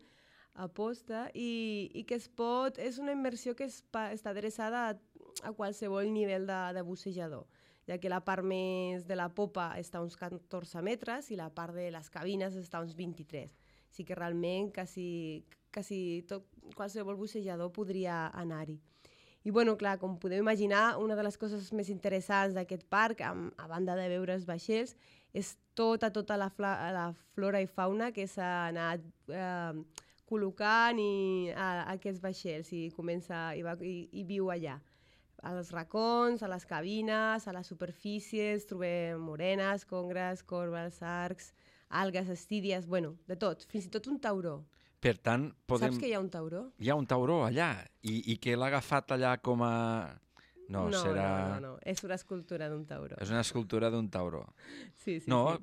a posta i que és una immersió que està adreçada a qualsevol nivell de bussejador, ja que la part més de la popa està a uns 14 metres i la part de les cabines està a uns 23. Així que realment quasi qualsevol bussejador podria anar-hi. I clar, com podeu imaginar, una de les coses més interessants d'aquest parc, a banda de veure els vaixells, és tota la flora i fauna que s'ha anat col·locant a aquests vaixells i viu allà. A els racons, a les cabines, a les superfícies, trobem morenes, congres, corbes, arcs, algues, estídies, de tot, fins i tot un tauró. Per tant, Saps que hi ha un tauró? Hi ha un tauró allà, i que l'ha agafat allà com a... No, és una escultura d'un tauró. És una escultura d'un tauró. Sí.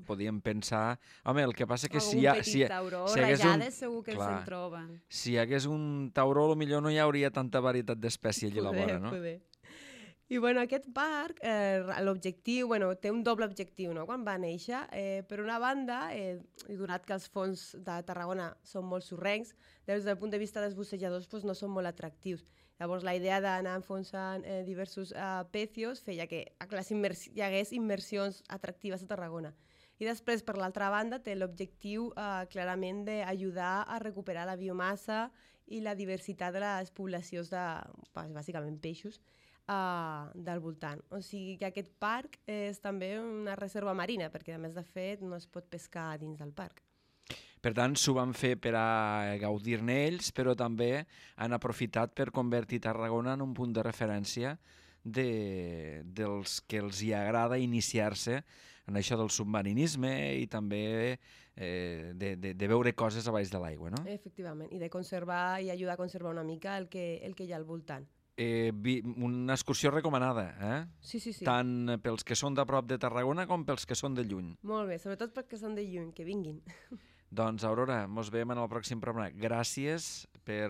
Podíem pensar... Home, el que passa que si tauró, rajades segur que se'n troben. Si hi hagués un tauró, potser no hi hauria tanta varietat d'espècie allà a la vora, no? Poder. I aquest parc, l'objectiu, té un doble objectiu, no? Quan va néixer, per una banda, i donat que els fons de Tarragona són molt sorrencs, des del punt de vista dels bussejadors no són molt atractius. Llavors la idea d'anar enfonsant diversos pecios feia que hi hagués immersions atractives a Tarragona. I després, per l'altra banda, té l'objectiu clarament d'ajudar a recuperar la biomassa i la diversitat de les poblacions de, bàsicament, peixos del voltant. O sigui que aquest parc és també una reserva marina, perquè a més de fet no es pot pescar dins del parc. Per tant, s'ho van fer per a gaudir-ne ells, però també han aprofitat per convertir Tarragona en un punt de referència dels que els hi agrada iniciar-se en això del submarinisme i també de veure coses a baix de l'aigua, no? Efectivament, i de conservar i ajudar a conservar una mica el que hi ha al voltant. Una excursió recomanada, eh? Sí. Tant pels que són de prop de Tarragona com pels que són de lluny. Molt bé, sobretot perquè són de lluny, que vinguin. Doncs, Aurora, mos veiem en el pròxim programa. Gràcies per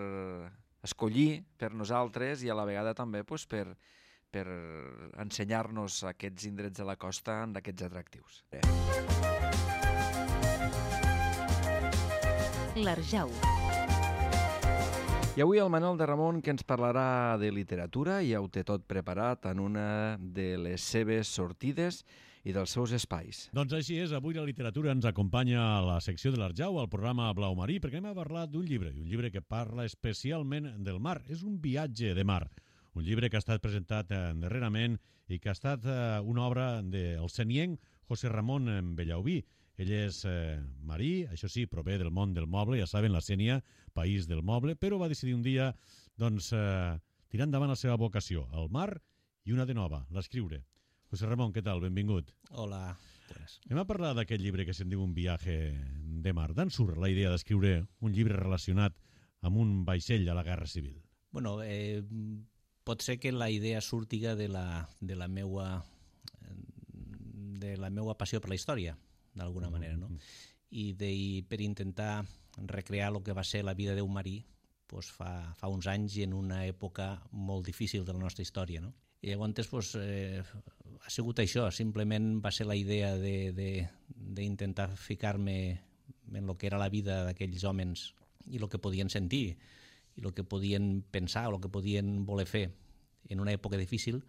escollir per nosaltres i a la vegada també per ensenyar-nos aquests indrets de la costa d'aquests atractius. L'Arjau. I avui el Manel de Ramon, que ens parlarà de literatura, ja ho té tot preparat en una de les seves sortides i dels seus espais. Doncs així és, avui la literatura ens acompanya a la secció de l'Arjau, al programa Blau Marí, perquè anem a parlar d'un llibre, i un llibre que parla especialment del mar. És un viatge de mar, un llibre que ha estat presentat darrerament i que ha estat una obra del senienc José Ramón Bellaubí. Ell és marí, això sí, prové del món del moble, ja saben, la Sénia, país del moble, però va decidir un dia tirar endavant la seva vocació, el mar i una de nova, l'escriure. José Ramón, què tal? Benvingut. Hola. Buenas. Anem a parlar d'aquest llibre que se'n diu Un viatge de mar. D'on surt la idea d'escriure un llibre relacionat amb un vaixell a la Guerra Civil? Bueno, pot ser que la idea surtiga de la meua passió per la història, d'alguna manera, no? I per intentar recrear el que va ser la vida d'un marí fa uns anys i en una època molt difícil de la nostra història, no? I llavors ha sigut això, simplement va ser la idea d'intentar ficar-me en el que era la vida d'aquells homes i el que podien sentir i el que podien pensar o el que podien voler fer en una època difícil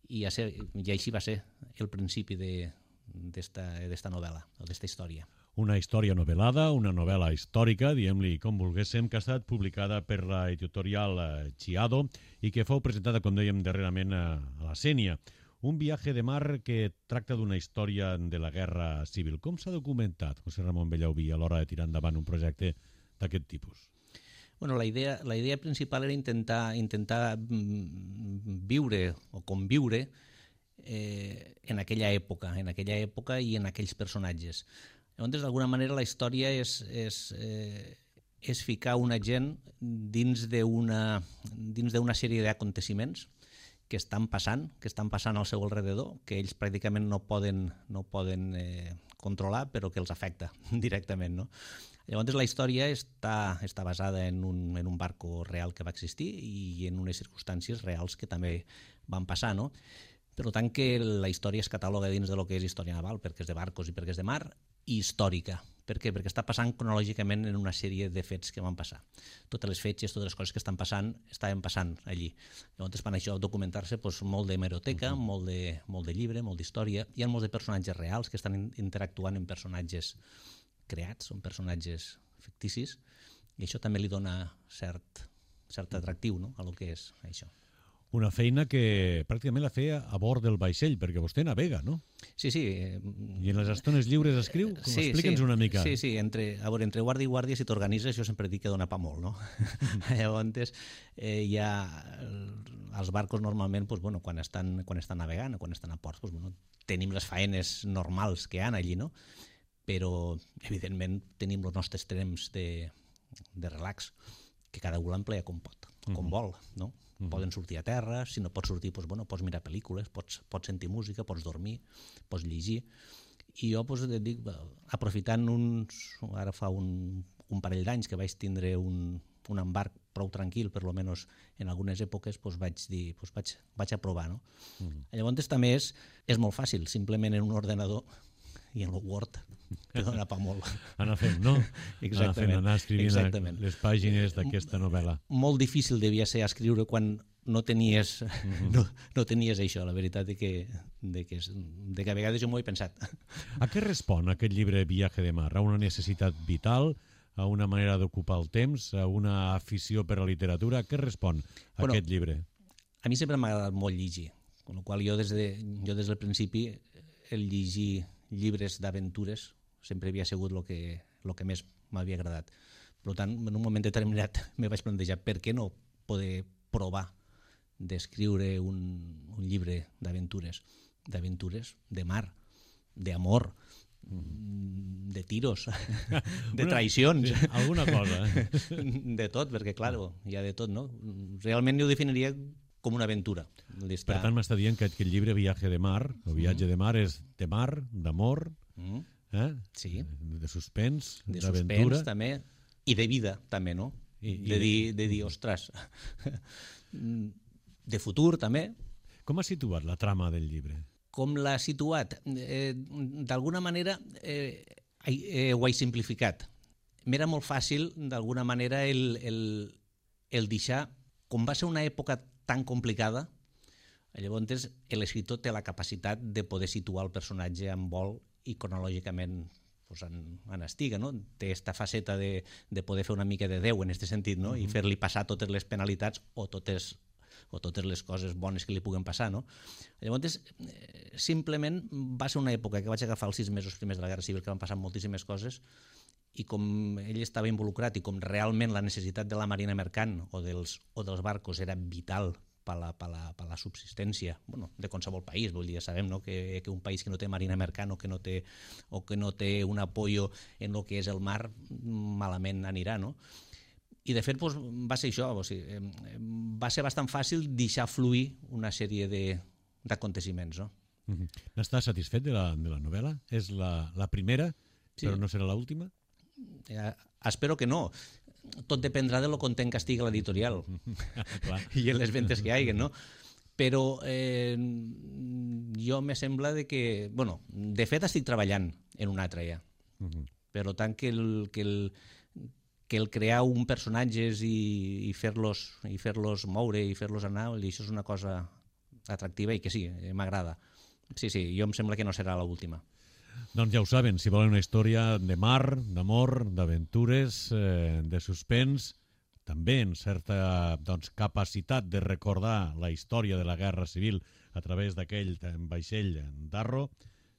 i així va ser el principi d'esta novel·la o d'esta història. Una història novel·lada, una novel·la històrica, diguem-li com volguéssim, que ha estat publicada per la editorial Chiado i que fou presentada, com dèiem, darrerament a la Sénia. Un viatge de mar que tracta d'una història de la Guerra Civil. Com s'ha documentat, José Ramón Bellaubí, a l'hora de tirar endavant un projecte d'aquest tipus? Bueno, la idea principal era intentar viure o conviure en aquella època i en aquells personatges. Llavors, d'alguna manera, la història és ficar una gent dins d'una sèrie d'aconteciments que estan passant al seu alrededor, que ells pràcticament no poden controlar, però que els afecta directament, no? Llavors, la història està basada en un barco real que va existir i en unes circumstàncies reals que també van passar, no? Per tant, que la història es cataloga dins de lo que és història naval, perquè és de barcos i perquè és de mar, i històrica. Per què? Perquè està passant cronològicament en una sèrie de fets que van passar. Totes les fetges, totes les coses que estaven passant allí. Llavors, per això documentar-se molt d'hemeroteca, molt de llibre, molt d'història. Hi ha molts de personatges reals que estan interactuant amb personatges creats, són personatges ficticis, i això també li dona cert atractiu, no?, a lo que és això. Una feina que pràcticament la feia a bord del vaixell, perquè vostè navega, no? Sí. I en les estones lliures escriu? Explica'ns una mica. Sí, entre guàrdia i guàrdia, si t'organitzes, jo sempre dic que dona pa molt, no? Llavors, els barcos normalment, quan estan navegant, quan estan a port, tenim les faenes normals que hi ha allí, no? Però, evidentment, tenim els nostres temps de relax, que cada un l'emplea com pot, com vol, no? Poden sortir a terra, si no pots sortir, pots mirar pel·lícules, pots sentir música, pots dormir, pots llegir. I jo dic, aprofitant ara fa un parell d'anys que vaig tindre un embarc prou tranquil, per almenys en algunes èpoques, vaig dir, vaig a provar, no? Llavors també és molt fàcil, simplement en un ordenador i en el Word, que dona pa molt. Anar fent, no? Exactament. Anar escrivint les pàgines d'aquesta novel·la. Molt difícil devia ser escriure quan no tenies això, la veritat de que a vegades jo m'ho he pensat. A què respon aquest llibre Viaje de mar? A una necessitat vital? A una manera d'ocupar el temps? A una afició per la literatura? A què respon aquest llibre? A mi sempre m'ha agradat molt llegir, amb la qual jo des del principi el llegir llibres d'aventures sempre havia sigut el que més m'havia agradat. Per tant, en un moment determinat me vaig plantejar per què no poder provar d'escriure un llibre d'aventures, de mar, d'amor, de tiros, de traicions. Sí, alguna cosa. De tot, perquè, clar, hi ha de tot, no? Realment jo ho definiria com una aventura. Per tant, m'està dient que aquest llibre Viaje de mar, o Viatge de mar, és de mar, d'amor, sí, de suspens, d'aventura. De suspens, també, i de vida, també, no? De dir, ostres, de futur, també. Com ha situat la trama del llibre? Com l'ha situat? D'alguna manera ho he simplificat. M'era molt fàcil, d'alguna manera, el deixar, com va ser una època tan complicada, llavors l'escriptor té la capacitat de poder situar el personatge en vol i cronològicament en estiga, no? Té aquesta faceta de poder fer una mica de Déu en aquest sentit, no? I fer-li passar totes les penalitats o totes les coses bones que li puguen passar, no? Llavors, simplement va ser una època que vaig agafar els 6 mesos primers de la Guerra Civil, que van passar moltíssimes coses, i com ell estava involucrat i com realment la necessitat de la marina mercant o dels barcos era vital per la subsistència de qualsevol país. Vull dir, ja sabem que un país que no té marina mercant o que no té un apoyo en el que és el mar, malament anirà, no? I de fet va ser això, va ser bastant fàcil deixar fluir una sèrie d'aconteciments. N'estàs satisfet de la novel·la? És la primera, però no serà l'última? Espero que no. Tot dependrà de lo content que estigui l'editorial i en les ventes que hi hagi, no? Però jo me sembla que... Bueno, de fet estic treballant en una altra ja. Per tant, que el crear un personatges i fer-los moure i fer-los anar, això és una cosa atractiva i que sí, m'agrada. Sí, jo em sembla que no serà l'última. Doncs ja ho saben, si volen una història de mar, d'amor, d'aventures, de suspens, també en certa capacitat de recordar la història de la Guerra Civil a través d'aquell vaixell d'Arro,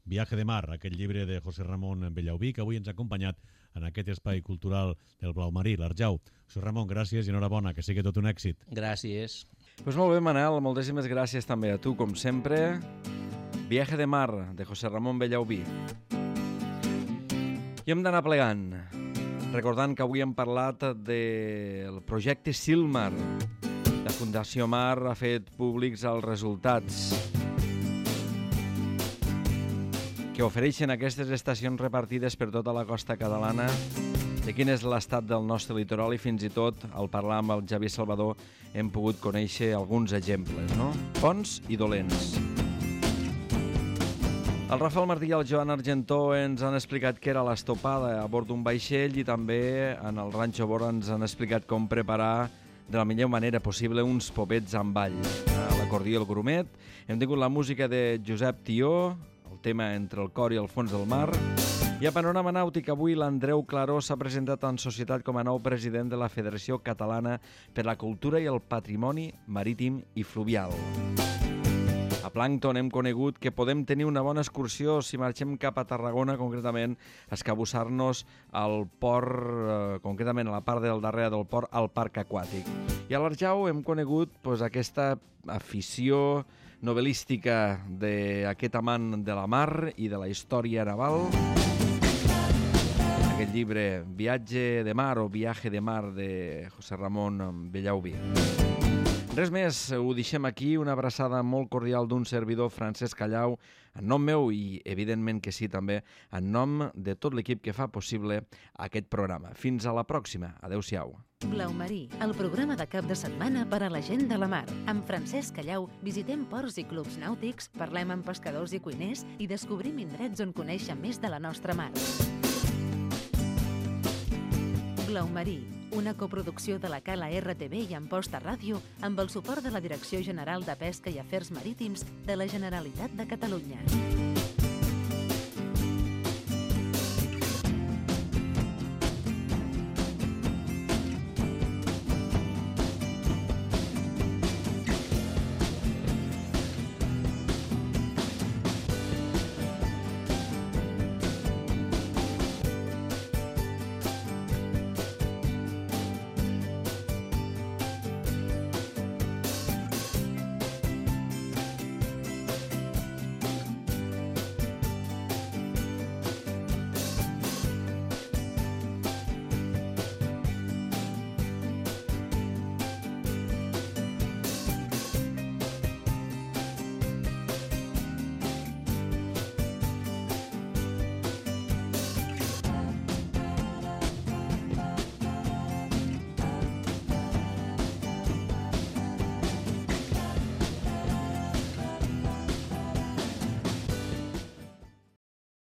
Viaje de mar, aquest llibre de José Ramón Bellaubí, que avui ens ha acompanyat en aquest espai cultural del Blau Marí, l'Arjau. José Ramón, gràcies i enhorabona, que sigui tot un èxit. Gràcies. Doncs molt bé, Manel, moltíssimes gràcies també a tu, com sempre. Viaje de mar, de José Ramón Bellaubí. I hem d'anar plegant, recordant que avui hem parlat del projecte Silmar. La Fundació Mar ha fet públics els resultats que ofereixen aquestes estacions repartides per tota la costa catalana, de quin és l'estat del nostre litoral i fins i tot, al parlar amb el Xavier Salvador, hem pogut conèixer alguns exemples, no? Bons i dolents. El Rafael Martí i el Joan Argentó ens han explicat què era l'estopada a bord d'un vaixell i també en el Ranxo Bora ens han explicat com preparar de la millor manera possible uns popets amb ball. L'acordió i el grumet. Hem tingut la música de Josep Tió, el tema Entre el cor i el fons del mar. I a Panorama Nàutic avui l'Andreu Claró s'ha presentat en societat com a nou president de la Federació Catalana per la Cultura i el Patrimoni Marítim i Fluvial. A Plàncton hem conegut que podem tenir una bona excursió si marxem cap a Tarragona, concretament a escabussar-nos al port, concretament a la part del darrere del port, al parc aquàtic. I a l'Arjau hem conegut aquesta afició novel·lística d'aquest amant de la mar i de la història naval. Aquest llibre, Viatge de mar o Viaje de mar, de José Ramón Bellaubí. Res més, ho deixem aquí, una abraçada molt cordial d'un servidor, Francesc Callau, en nom meu i, evidentment que sí, també, en nom de tot l'equip que fa possible aquest programa. Fins a la pròxima. Adéu-siau. Blau Marí, el programa de cap de setmana per a la gent de la mar. Amb Francesc Callau visitem ports i clubs nàutics, parlem amb pescadors i cuiners i descobrim indrets on conèixer més de la nostra mar. Blau Marí, una coproducció de la Cala RTV i Amposta Ràdio amb el suport de la Direcció General de Pesca i Afers Marítims de la Generalitat de Catalunya.